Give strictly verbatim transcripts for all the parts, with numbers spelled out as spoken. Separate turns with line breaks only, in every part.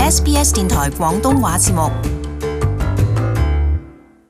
S B S 電台廣東話節目。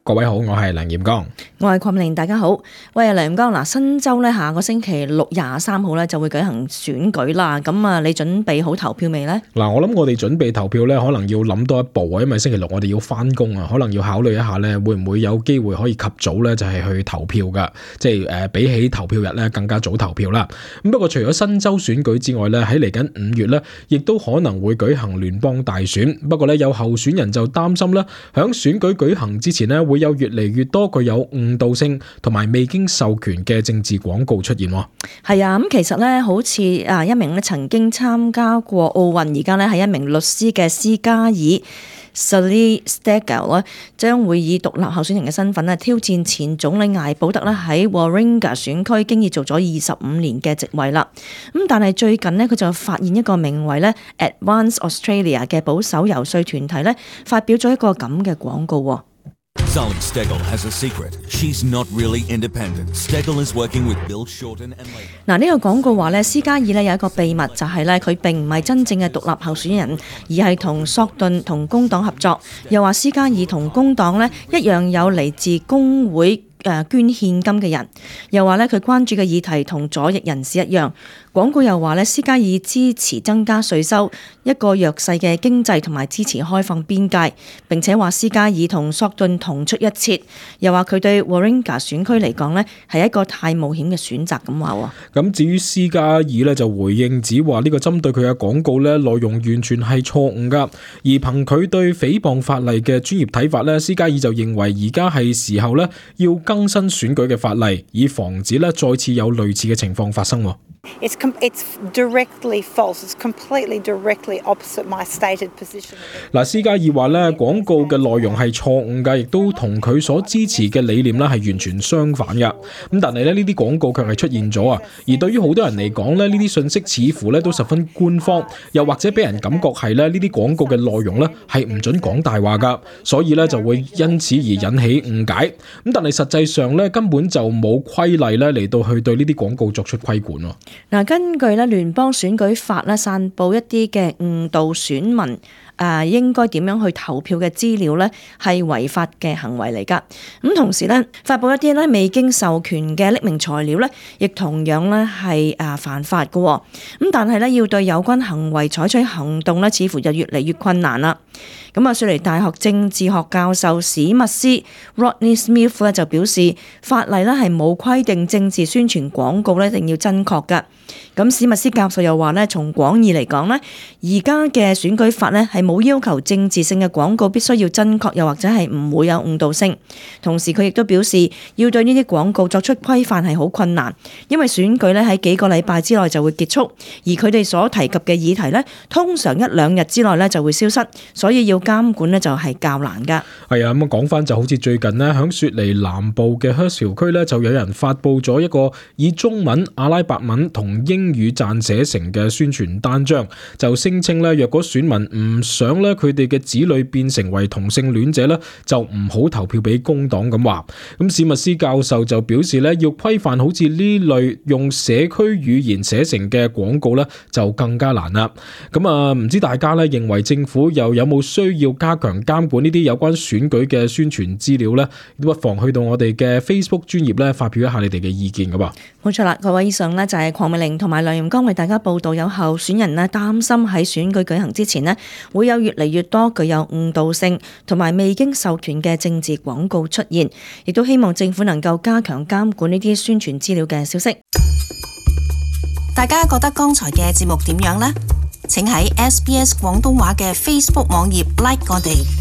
各位好，我係梁炎剛，
我係鄺明，大家好。喂，梁炎剛嗱，新州咧下個星期六廿三號咧就會舉行選舉啦。咁啊，你準備好投票未呢？
嗱，我諗我哋準備投票咧，可能要諗多一步啊，因為星期六我哋要翻工啊，可能要考慮一下咧，會唔會有機會可以及早咧就係去投票噶，即係誒比起投票日咧更加早投票啦。咁不過除咗新州選舉之外咧，喺嚟緊五月咧，亦都可能會舉行聯邦大選。不過咧，有候選人就擔心咧，響選舉舉行之前咧會有越嚟越多具有誤導性同埋未經授權嘅政治廣告出現。
係啊，咁其實咧，好似啊一名咧曾經參加過奧運，而家咧係一名律師嘅斯加爾 Sally Stengel 咧，將會以獨立候選人嘅身份咧挑戰前總理艾保特咧喺 Warringah 選區經已做咗二十五年嘅席位啦。咁但係最近咧，佢就發現一個名為咧 Advance Australia 嘅保守游說團體咧，發表咗一個咁嘅廣告。
Sally Stengel has a secret. She's not really independent. Stengel is working with Bill Shorten and Labor.
嗱，呢個廣告話咧，斯加爾咧有一個秘密，就係咧佢並唔係真正嘅獨立候選人，而係同索頓同工黨合作。又話斯加爾同工黨咧一樣有嚟自工會誒捐獻金嘅人。又話咧佢關注嘅議題同左翼人士一樣。廣告又話咧，斯加爾支持增加稅收，一個弱勢嘅經濟同埋支持開放邊界。並且話斯加爾同索頓同出一轍。又話佢對 Warringah 選區嚟講咧係一個太冒險嘅選擇咁話。
咁至於斯加爾咧就回應指話呢個針對佢嘅廣告咧內容完全係錯誤噶，而憑佢對誹謗法例嘅專業睇法咧，斯加爾就認為而家係時候咧要更新選舉嘅法例，以防止咧再次有類似嘅情況發生。
It's com- it's directly false. It's completely directly opposite my stated position.
嗱，斯加爾話咧廣告嘅內容係錯誤㗎，亦都同佢所支持嘅理念咧係完全相反㗎。咁但係咧呢啲廣告卻係出現咗啊！而對於好多人嚟講咧，呢啲信息似乎咧都十分官方，又或者俾人感覺係咧呢啲廣告嘅內容咧係唔準講大話㗎，所以咧就會因此而引起誤解。咁但係實際上咧根本就冇規例咧嚟到去對呢啲廣告作出規管。
嗱，根據咧聯邦選舉法咧，散佈一啲嘅誤導選民誒、呃、應該點樣去投票嘅資料咧，係違法嘅行為嚟㗎。咁同時咧，發佈一啲咧未經授權嘅匿名材料咧，亦同樣咧係誒犯法嘅。咁但係咧，要對有關行為採取行動咧，似乎就越嚟越困難啦。咁啊，雪梨大學政治學教授史密斯 Rodney Smith 咧就表示，法例咧係冇規定政治宣傳廣告咧一定要真確㗎。咁史密斯教授又話咧，從廣義嚟講咧，而家嘅選舉法咧係冇要求政治性嘅廣告必須要真確，又或者係唔會有誤導性。同時佢亦都表示，要對呢啲廣告作出規範係好困難，因為選舉咧喺幾個禮拜之內就會結束，而佢哋所提及嘅議題咧，通常一兩日之內咧就會消失，所以要監管咧就係較難㗎。
係啊，咁啊講翻就好似最近呢，響雪梨南部嘅 Hurstville 區咧，就有人發布咗一個以中文、阿拉伯文同英語撰寫成嘅宣傳單張，就聲稱咧，若果選民唔想咧佢哋嘅子女變成為同性戀者咧，就唔好投票俾工黨咁話。咁史密斯教授就表示咧，要規範好似呢類用社區語言寫成嘅廣告咧，就更加難啦。咁啊，唔知大家咧認為政府又有冇需要加強監管呢啲有關選舉嘅宣傳資料咧？不妨去到我哋嘅 Facebook 專頁咧，發表一下你哋嘅意見噶噃。
冇錯啦，各位，以上呢就係鄺美玲同埋梁炎剛為大家報道，有候選人呢擔心喺選舉舉行之前呢會有越嚟越多具有誤導性同埋未經授權嘅政治廣告出現，亦都希望政府能夠加強監管呢啲宣傳資料嘅消息。
大家覺得剛才嘅節目點樣呢？請喺 S B S 廣東話嘅 Facebook 網頁 like 我哋。